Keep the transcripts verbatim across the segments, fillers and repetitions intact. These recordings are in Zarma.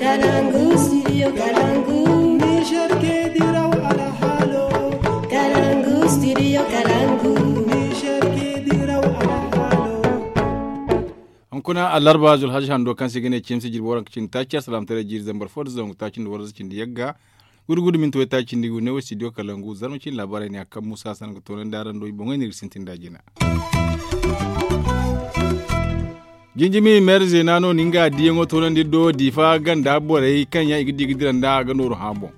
Kalangu studio kalangu. Niger ke diraw alhalo. Kalangu studio kalangu. Niger ke diraw alhalo. Hunkuna alarba zulhaji hando kaŋ se i ga ne cimsi jirbi waranka cindi taaci asalamtaray jiiri zambar fo da zangu taaci nda waranza cindi yagga. Gudu gudu minti way taaci nda i ga ne wo studio kalangu zarma cindi laabaarey ne a kaŋ musa hassan ga toonandi araŋ do i boŋey no iri ga sintin da jina. Jinjimi meere zeena no ni nga diyaŋo toonandi do diifa ganda borey kaŋ yaŋ i ga di ga dira nda a ga nooru hã boŋ.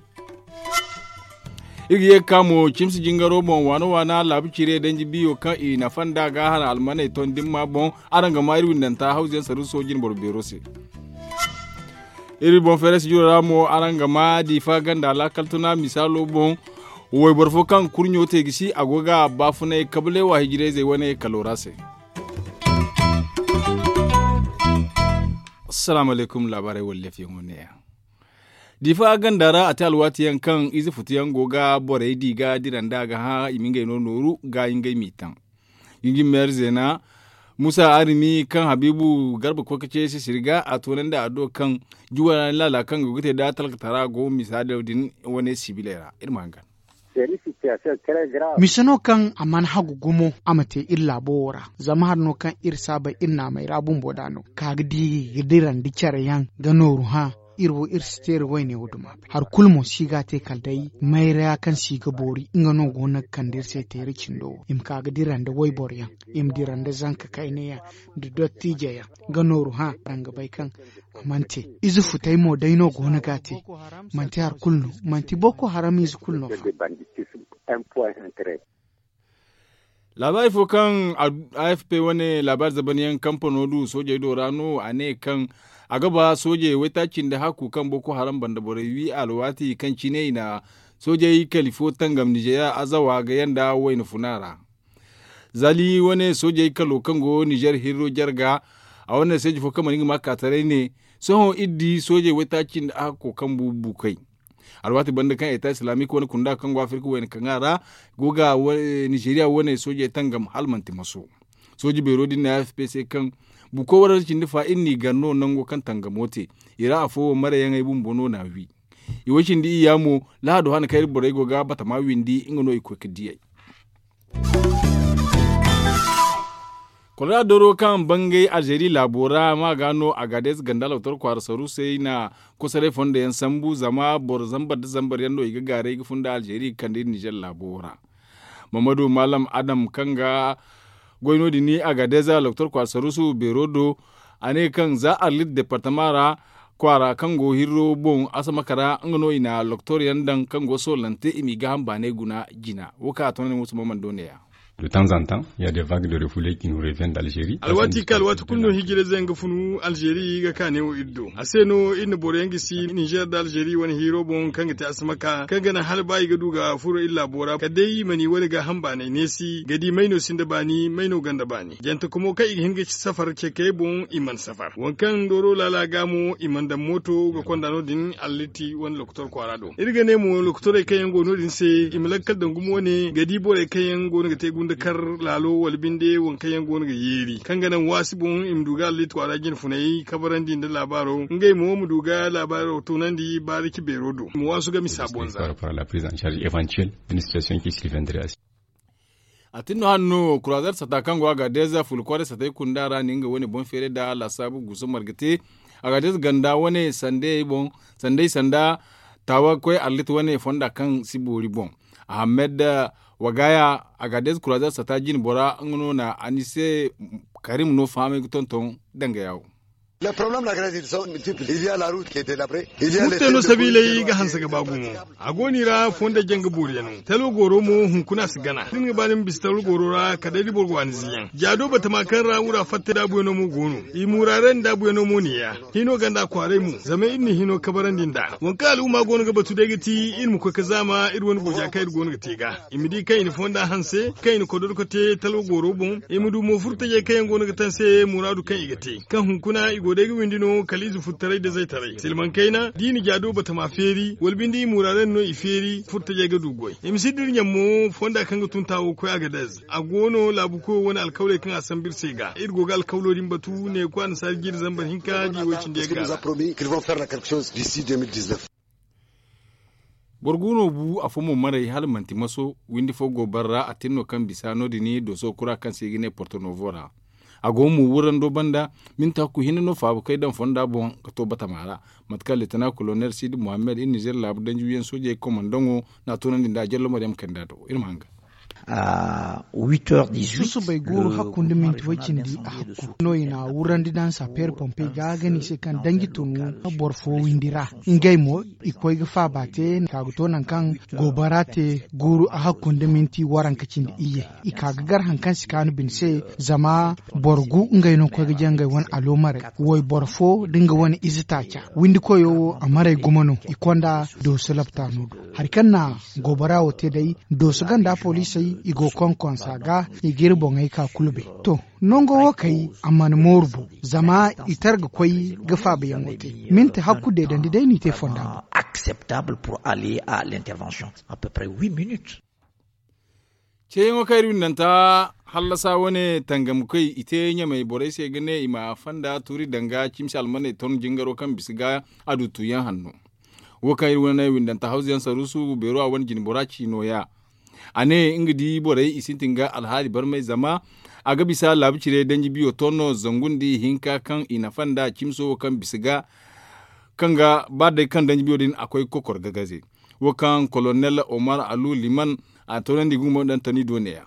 Iri ga ye ga ka mo cimsi jingaro boŋ waana waana laabu ciire danji biyo kaŋ i nafa nda ga hana almaney ton dimma boŋ. Araŋ ga ma iri windanta hawzu yaŋ saruuso jinboro beero se. Iri boŋ feeray si jiro ra mo araŋ ga ma diifa ganda laakal tuna misaalo boŋ. Wayboro fo kaŋ kurɲo te gisi a go ga baafunay kabale wa hijirayzey wane kalo ra se. Assalamu alaykum laabaarey walleefiyaŋo neeya. Diifa ganda ra a te alwaati yaŋ kaŋ ize futu yaŋ go ga borey di ga dira nda a ga hã i ma ngey no nooru ga ngey m'i taŋ. Jinjin meere zeena musa arimi kaŋ habiibu garba koy ka ce sisiri ga a toonandi a do kaŋ juwara ni laala kaŋ go ga te da talkatara go misaalo din wane sibiley ra iri ma hangan. Mise no kaŋ a mana hagu gumo a ma te iri laabo wo ra zama hari no kaŋ iri saabay iri naamey ra bumbo da no ka ga di ga dirandi care yaŋ ga nooru hã. Iri wo iri si teeri wayne wo duma bay hari kulu mo si ga a te kala day mayra kaŋ si ga boori nga no go no ga kande iri se teeri cindo wo i ma ka ga dira nda wayboro yaŋ i ma dira nda zanka kayna yaŋ nda dottijo yaŋ ga nooru hã araŋ ga bay kaŋ a mana te. Ize futay mo day no go no ga a te manti hari kulu no manti boko haram ize kulu no fa. Laabaari fo kaŋ a f p wane laabaari zabanyaŋ kampano du soojey do ra no a ne kaŋ a ga ba soojey waytaaci nda hakku kaŋ boko haram banda borey wi alwaati kaŋ cine i na soojey kali fo tangam nizeeriya azawa ga yanda wayna funa ra. Zali wane soojey kalo kaŋ go nizeer hirro jarga a wane seeji fo kaŋ mana nga ma kaataray ne sohõ iri di soojey waytaaci nda hakko kaŋ bu bukey. Alwaati banda kaŋ eta islamic wane kunda kaŋ go afirka wayna kaŋ a ra go ga nizeeriya wane soojey tangam hala manti maso. Sooji beero din na f p c kaŋ buko warra cindi fa iri n'i gar no nango kaŋ tangamo te i ra afo wo marayaŋey bumbo no n'a wi. I way cindi iyya mo lahado hane kaŋ iri borey go ga batama windi nga no i koy ga diyey. Kolora doro kaŋ bangay alzeeri laabo ra ma ga no a ga day ze ganda loktor kwaara saru se i na kosoray fondo yaŋ sambu zama boro zambar nda zambar yaŋ no i ga gaaray ga fun nda alzeeri ga kande iri nizer laabo ra. Mammadu maalam adam kaŋ ga goy no- din a ga day ze loktor kwaara saru se beero do a ne kaŋ za arlit departama ra kwaara kaŋ go hirro boŋ asamaka ra nga no i na loktor yaŋ daŋ kaŋ go soolante i m'i gaaham baanay guna jina wo kaŋ a to no ne musa mammando ne- ya. De temps en temps il ya des vagues de refouler qui nous reviennent d'algerie. Alwaati kaŋ alwaati kulu no hijirayze yaŋ ga funu algerie ga ka neewo iri do a se no iri na boro yaŋ gisi nizer nda algerie wane hiiro boŋ kaŋ ga te asamaka kaŋ ga naŋ hala ba i ga du ga furo iri laabo ra kala day i mana i wane gaaham baanay neesi ga di may no sinda baani may no gonda baani jante kumo kaŋ i ga hin ga ci safar ceekayey boŋ i mana safar waŋ kaŋ dooro laala ga mo i mana daŋ mooto ga konda no- din alliti wane lokotor kwaara do iri ga ne mo lokotorey kaŋ yaŋ go no- din se i ma lakkal daŋ gumo wane ga di borey kaŋ yaŋ go no ga te gunda kar laalo wala binde waŋ kaŋ yaŋ go no ga yeeri kaŋ ga naŋ waasi boŋ i ma du ga alliti kwaara jine funay kabarandi nda laabaaro ngey mo ma du ga laabaaro toonandi baarici beero do i ma waasu ga misa bonza. A tin no hane no kurazer sata kaŋ go a ga deeza fula kwaaray satay kunda ra na nga wane boŋ feeray nda laasaabu guuso marga te. A ga deeza ganda wane sandey boŋ sandey sanda taawa ga koy arlit wane fonda kaŋ si boori boŋ. Ahamed wagaya a ga deeza kurazer sata jine bora nga no na anise karim no fahamay ga tonton danga yaawo. Murte no sabiiley ga hanse ga ba gumo. A go no i ra fondo janga booriyaŋo talwa goro mo hunkuna a si gana da ni ga ba ni ma bisa talwa goro ra kala day da boro go a ni ziyaŋ jaado batama kaŋ ra wura fatta daabuyaŋo mo go no. I muraarey nda daabuyaŋo mo ne- ya hino ganda kwaaray mo zama iri na hino kabarandi nd'a waŋ kaŋ al'umma go no ga batu day ga ti iri ma koy ga zaama iri wane gooja kaŋ iri go no ga te ga i ma di kaŋ i na fonda hanse kaŋ i na kodorko te talwa goro boŋ i ma du mo furtajey kaŋ yaŋ go no ga taŋ se muraadu kaŋ i ga te kaŋ hunkuna i go Day ga windi no kala ize furtaray da zaytaray silmaŋ kayna da i na jaado batama feeri wala binde i muraadey no i feeri furtajey ga du goy i ma si dira ɲammo fonda kaŋ ga tun taawo ga koy agadez. A go no laabu koyo wane alkawley kaŋ a sambu iri se ga iri go ga alkawlo din batu ne ga koy annasaari jiiri zambar hinka da i woy cindi yaŋ ga. Boro gu no bu afo mo maray hala manti maso windi fo go bara ra a tin no kaŋ bisa no- din dooso kura kaŋ se i ga ne porto novo ra. A go mo wurando banda minti hakku hinne no faabakey daŋ fonda boŋ ga to batama ra. Mate kaŋ lieutenant colonel sidi mohammed iri nizer laabu danji wiyaŋ soojey komandaŋo n'a toonandi nda a jallo maryam kanda do iri ma hanga. Susubay guuru hakku nda minti way cindi a hakku no i na wurandi daŋ sapeer pompey ga ga ne i se kaŋ danji tunu boro fo windi ra. Ngey mo i koy ga faaba te ka ga to nangu kaŋ goobara te guuru a hakku nda minti waranka cindi iyye. I ka ga gar hari kaŋ si kaanu bine se zama boro gu ngey no koy ga jangay wane aloomarey. Wayboro fo da nga wane ize taaca windi koyo wo a maray gumo no i konda dooso laptaano do. Hari kaŋ na goobara wo te day dooso ganda poliisey i go konkonsa ga i ga iri boŋey ka kulu bay. To, nango wo kay a mana mooru bo zama i tara ga koy ga faabayaŋo te. Minti hakku deedandi day no i te fonda boŋ. Acceptable pour aller à l'intervention à peu près huit minutes. Ceeyaŋo kaŋ iri windanta hallasa wane tangamkoy i te ɲamey borey se ga ne i ma fanda tuuri danga cimsi almaney ton jingaro kaŋ bisa ga a du tuuyaŋ hanno. Wo kaŋ iri wane windanta hawzuyaŋ saruusu beero a wane jine bora ci nooya. A ne nga di borey i sintin ga alhaali barmay zama a ga bisa laabu cire danji biyo ton no zangu nda ihinka kaŋ i nafa nda cimso wo kaŋ bisa ga kaŋ ga ba day kaŋ danji biyo din a koy ga kokor ga gaze. Wo kaŋ kolonel omar alu liman a toonandi gumo daŋ tani do neeya.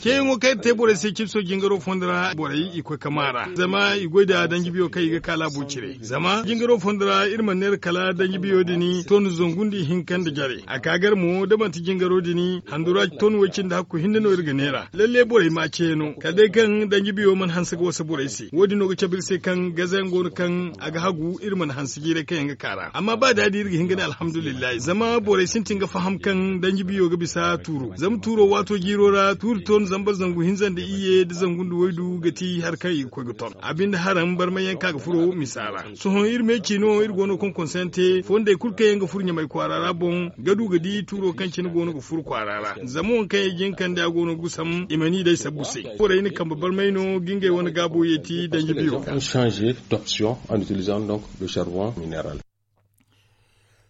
Ceeyaŋo kaŋ iri te borey se cipso jingaro fondo ra borey i koy ka maa ra zama i goy da danji biyo kaŋ i ga ka laabo cire zama jingaro fondo ra iri mana neera kala danji biyo din ton zangu nda ihinka nda jare a ka gar mo da manti jingaro din handura ton way cindi hakku hinne no iri ga neera lalle borey ma ceeno kala day kaŋ danji biyo mana hanse ga wasa borey se wo- din no ga cabe iri se kaŋ gazayaŋ go no kaŋ a ga hagu iri mana hanse jiiray kaŋ yaŋ ga ka ra amma ba da- din iri ga hin ga ne alhamdulillahi zama borey sintin ga faham kaŋ danji biyo ga bisa tuuro zama tuuro waato jiiro ra tuuri ton zambar zangu hinza nda iyye nda zangu nda waydu ga ti hari kaŋ i ga koy ga ton a binde haraŋ barmay yaŋ kaŋ a ga furo misa ra. Sohõ iri me ci no iri go no konkonse yaŋ te fondey kulu kaŋ yaŋ ga furo ɲamay kwaara ra boŋ ga du ga di tuuro kaŋ cine go no ga furo kwaara ra zama waŋ kaŋ i jin kande a go no ga gusam i mana i day sabbu se. Borey na kambe barmay no ga ngey wane gaabo yeeti danji biyo ga.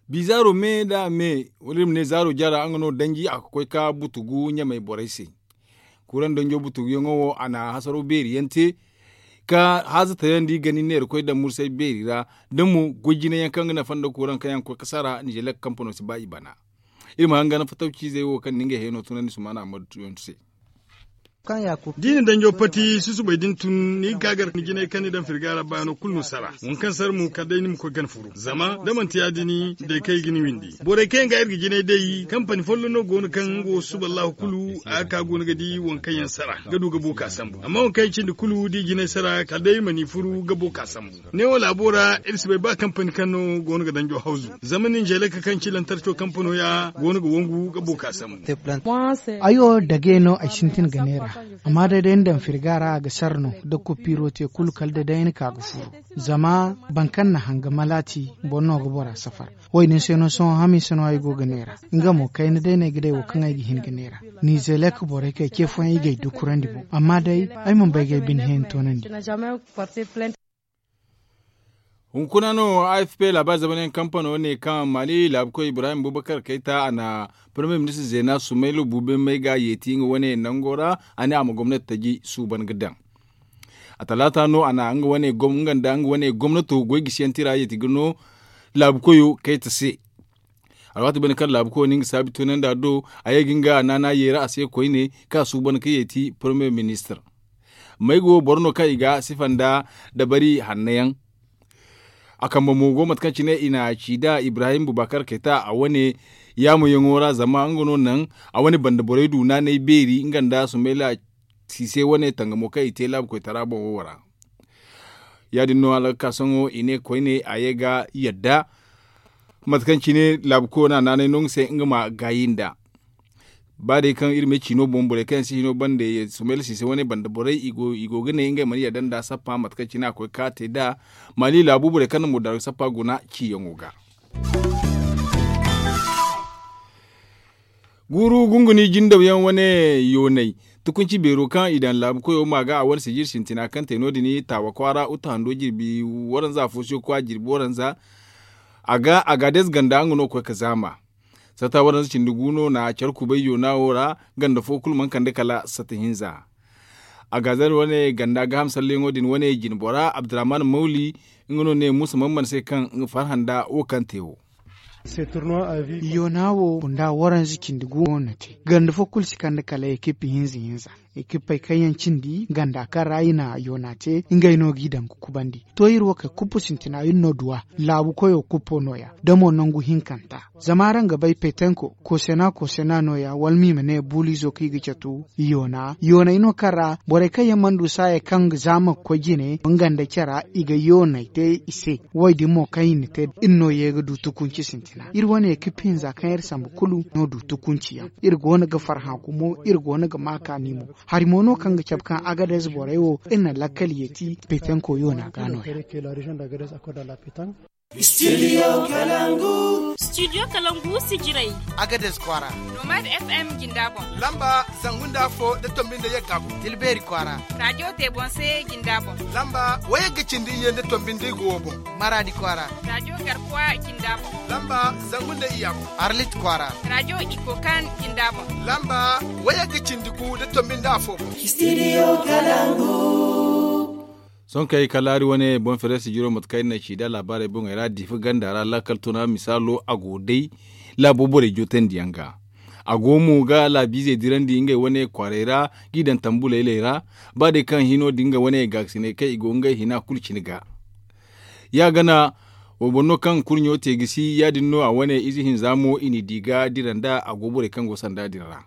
Bi zaaro me nda a me wala iri ma ne zaaro jara nga no danji a ga koy ka butugu ɲamey borey se. Kuuraŋ danjo butuguyaŋo wo a na hasaraw beeri yaŋ te ka haaza tayaŋ da i gana i neera koy daŋ mursay beeri ra da mo goy jine yaŋ kaŋ ga nafa nda kuuraŋ kaŋ yaŋ ga koy ga sara nizelek kampano si ba i bana. Iri ma hanga nafa tawciizey wo kaŋ na ngey heno tunandi sumaana ammadu yaŋ se. Da i na danjo pati susubay din tun ni ga ka gar ni jinay kaŋ ni daŋ firga ra baano kulu no sara waŋ kaŋ sara mo kala day ni ma koy gana furu zama da manti ya- din day kaŋ i ga ni windi borey kaŋ yaŋ ga iri ga jinay day kampani folloŋ no go no kaŋ nga wo susuba allahu kulu a ga ka go no ga di waŋ kaŋ yaŋ sara ga du ga bo ka sambu amma waŋ kaŋ yaŋ cindi kulu da i jinay sara kala day iri ma ni furu ga bo ka sambu. Neewo laabo ra iri si bay ba kampani kaŋ no go no ga danjo hawzu zama ninzeeleka kaŋ ci lantarco kampano ya go no ga wangu ga bo ka sambu. Ay wo dage no ay sintin ga neera. Amma da day ni daŋ firga ra a ga sara no da kopiro te kulu kala da day ni ka ga furu. Zama boro kaŋ na hanga malaati boro no ga bora safar. Wo- din se no sohõ hamiisa no ay go ga neera. Nga mo kayna day no ay ga day wo kaŋ ay ga hin ga neera. Nizelek borey kay ce fooyaŋ i ga ay dukurandi boŋ amma day ay mana bay ga ay bine hẽeni toonandi. Hunkuna no a f p laabaari zamanayaŋ kampano ne kaŋ maali laabukoy ibrahim bubakar kayta a na parmiye ministir zeena sumaylu buuben may ga yeeti nga wane nango ra. A ne a ma gomnati taji suuban ga daŋ. A talaata no a na nga wane gomnato goy gisiyaŋ tira yeeti ga no laabukoyo kayta se. Alwaati banda kaŋ laabukoyo na nga saabi tunandi a do a ye ga nga naana yeera a se koyne kaŋ a suuban ga yeeti parmiye ministir. Mayga wo boro no kaŋ i ga sifa nda dabari hanno yaŋ. A kambe mo go mate kaŋ cine i na ci da ibrahim bubakar kayta a wane yaamoyaŋo ra zama nga no naŋ a wane banda borey du naanay beeri nga nda sumayla siise wane tangamo kaŋ i te laabu koytara boŋo ra. Ya- din no alakasaŋo i ne koyne a ye ga yadda mate kaŋ cine laabu koyo no a naanay no nga se nga ma gaayi nda. Ba day kaŋ iri ma ay ciino boŋ borey kaŋ yaŋ si hino bande sumayla siise wane banda borey i go ga ne ngey mana yadda nda sappa mate kaŋ cine a koy ga ka te nd'a. Maali laabu borey kaŋ na murdaaro sappa guna ciyaŋo ga. Guuru gunguni jindaw yaŋ wane yoonay tukunci beero kaŋ i daŋ laabu koyo ma ga a wane sijir sintina kaŋ te no- din taawa kwaara uta hando jirbi waranza fo si ga koy a jirbi waranza. A ga a ga deeze ganda nga no ga koy ga zaama. Sata waranza cindi gu no na care kubay yoona wo ra. Ganda fo kulu mana kande kala sata hinza. A ga zan wane ganda gaaham salleyaŋo din wane jine bora abdurrahman mawli nga no ne muusa man mana se kaŋ nga farhã nda wo kaŋ te wo. Yoona wo nda waranza cindi gu no na te ganda fo kulu si kande kala ekip hinza hinza. Ekipey kaŋ yaŋ cindi ganda kaŋ ra i na yoona te ngey no g'i daŋ ga kubandi. To iri wo kay kuppu sintina iri no duw'a. Laabu koyo kuppo no- ya da mo nangu hinkanta. Zama araŋ ga bay petenko koosena koosena no- ya wala ma i ma ne buuliizo kaŋ i ga catu yoona yooney no kaŋ ra borey kaŋ yaŋ mana du saaya kaŋ ga zaama ga koy jine nga nda care i ga yooney te i se. Wo- din mo kaŋ i na te iri no ye ga du tukunci sintina iri wane ga pinza kaŋ iri sambu kulu no du tukunci yaŋ. Iri go no ga farhã gumo iri go no ga ma kaani mo. Hari mo no kaŋ ga cabe kaŋ agadez borey wo iri na lakkal yeeti petenko yoona ga no- ya. Studio kalangu sijirey. Agadez kwaara. Nomad fm jinda boŋ. Lamba zangu nda afo da tombi nda yagga boŋ. Tilbeeri kwaara. Rajo te boŋ se jinda boŋ. Lamba wayagga cindi iyye nda tombi nda igo wo boŋ. Maraadi kwaara. Rajo garkuwa jinda boŋ. Lamba zangu nda iyya boŋ. Arlit kwaara. Rajo iko kan jinda boŋ. Lamba wayagga cindi gu da tombi nda afo boŋ. Studio kalangu. Sohõ kay kala hari wane boŋ fereesi jiro mate kaŋ ay na ci nd'a laabaarey boŋey ra diifa ganda ra laakal tuna misaalo a go day. Laabo borey jootandi yaŋ ga a go mo ga laabiizey dirandi ngey wane kwaarey ra g'i daŋ tambu laylay ra. Ba day kaŋ hino din nga wane gaakasiney kaŋ i go ngey hina kulu cine ga. Ya gana wayboro no kaŋ kurɲo te gisi ya- din no a wane ize hinza mo i n'i di ga dira nd'a a go borey kaŋ go sanda din ra.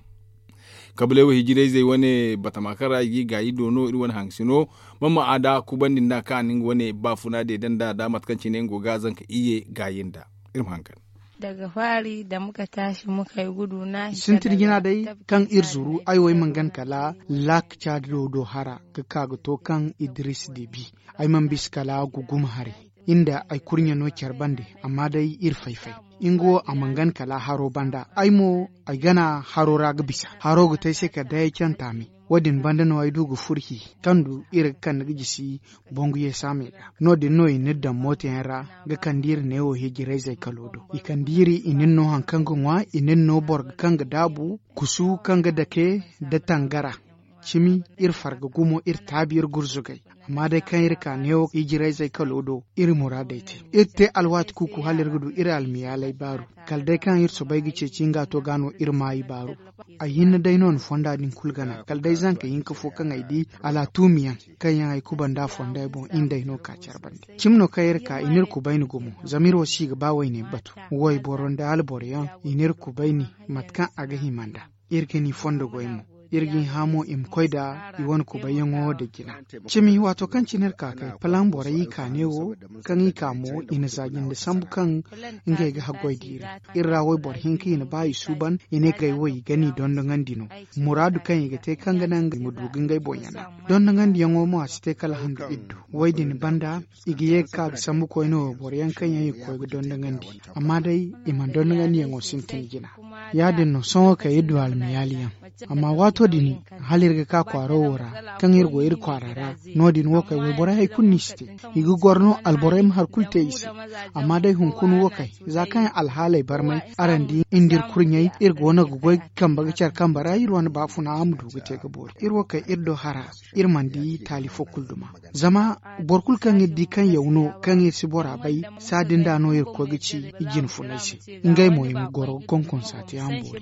Kabaley wo hijirayzey wane batama kaŋ ra i g'i gaayi do no iri wane haŋsino. Mama a da kubandi nd'a kaŋ a na nga wane baafuna deede nd'a da mate kaŋ cine nga go ga zanka iyye gaayi nd'a. Iri ma hangan. Daga faari da muka taasi muka ay gudu na sintin jina day kaŋ iri zuru ay wo ay mana gana kala laak caado do hara ga ka ga to kaŋ idris debi. Ay mana bisa kala guguma haray. Inda ay kurɲe no care bande amma day iri fay-fay. Nga wo a mana gana kala haro banda ay mo ay gana haro ra ga bisa haro ga te ay se kala day ay canta me. Wo- din banda no ay du ga furhi kaŋ du iri ga kande ga jisi. Bangu yeesa me ga no- din no i n'iri daŋ mooto yaŋ ra ga kande iri neewo hijirayzey kalo do i kande iri i n'iri no hari kaŋ ga ŋwa i n'iri no boro kaŋ ga daabu kusu kaŋ ga dake nda tangara. Cimi iri farga gumo iri taabi iri gurzugay. Amma day kaŋ iri ka neewo hijirayzey kalo do iri muraadey te. Iri te alwaati kuuku hala iri ga du iri almiyaaley baaru. Kala day kaŋ iri soobay ga ceeci nga to ga no iri maayi baaru. Ay hinne day no ni fonda din kulu gana kala day zanka hinka fo kaŋ ay di alaatuumi yaŋ kaŋ yaŋ ay kubanda fonday boŋ i nda ay no ka care bande. Cimi no kaŋ iri ka i n'iri kubayni gumo zama iri wo si ga ba wayne batu. Wayboro nda alboro yaŋ i n'iri kubayni mate kaŋ a ga hima nda. Iri ga ni fondo goy mo. Iri ga ni hã mo i ma koy nda i wane kubayyaŋo nda jina. Cimi waato kaŋ cine iri ka kay palaŋ borey i ka ne wo kaŋ i ka mo i na za jinde sambu kaŋ ngey ga haggoy diiri. Iri ra wayboro hinka i na ba i suuban i ne ngey wo i ga ni dondoŋandi no. Muraadu kaŋ i ga te kaŋ ga naŋ i ma du ga ngey boŋ yana. Dondoŋandiyaŋo mo a si te kala handu iddu. Way din banda i ga ye ga ka ga sambu koyne wayboro yaŋ kaŋ yaŋ i ga koy ga dondoŋandi. Amma day i mana dondoŋandiyaŋo sintin jina. Ya- din no sohõ kaŋ iri du almayaali yaŋ. Amma waato din hala iri ga ka kwaaro wo ra kaŋ iri go iri kwaara ra. No- din wo kay wayborey hari kulu no i si te. I ga goro no alborey ma hari kulu te i se. Amma day hunkuna wo kay za kaŋ alhaaley barmay araŋ di nda iri kurɲey iri go no ga goy ga kambe ga care kambe ra iri wane baafuna a ma du ga te ga boori iri wo kay iri do hara. Iri mana di taali fo kulu duma. Zama boro kulu kaŋ iri di kaŋ yaw no kaŋ iri si bora bay saadin da no iri ga koy ga ci i jine funay se. Ngey mo i ma goro ga konkonsa te a ma boori.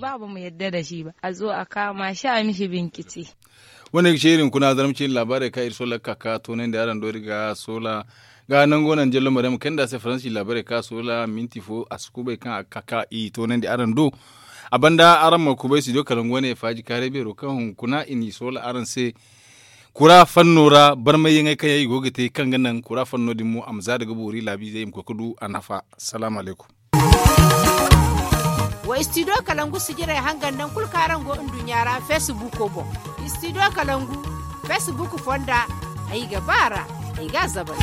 A zo a kaama si a misi binciti. Wane ga ce iri hunkuna zarma cine laabaarey kaŋ iri soola ga ka ka toonandi araŋ do iri ga soola ga nango naŋ jallo maryam kayna nda a se faransi laabaarey kaŋ a soola minti fo a si kubay kaŋ a ga ka ka i toonandi araŋ do. A banda araŋ ma kubay studio kalangu wane faaji kaaray beero kaŋ hunkuna i n'i soola araŋ se. Kura fanno ra barmayyaŋey kaŋ yaŋ i go ga te kaŋ ga naŋ kura fanno din mo a ma za daga boori laabiizey i ma koy ga du a nafa. Salaamu alaykum. Wa istidiyo kalangu sijirey hangan naŋ kulu kaŋ araŋ go nduɲɲa ra feesibuuko boŋ. Istidiyo kalangu feesibuuk fonda, ay ga ba a ra, ay ga a zabar.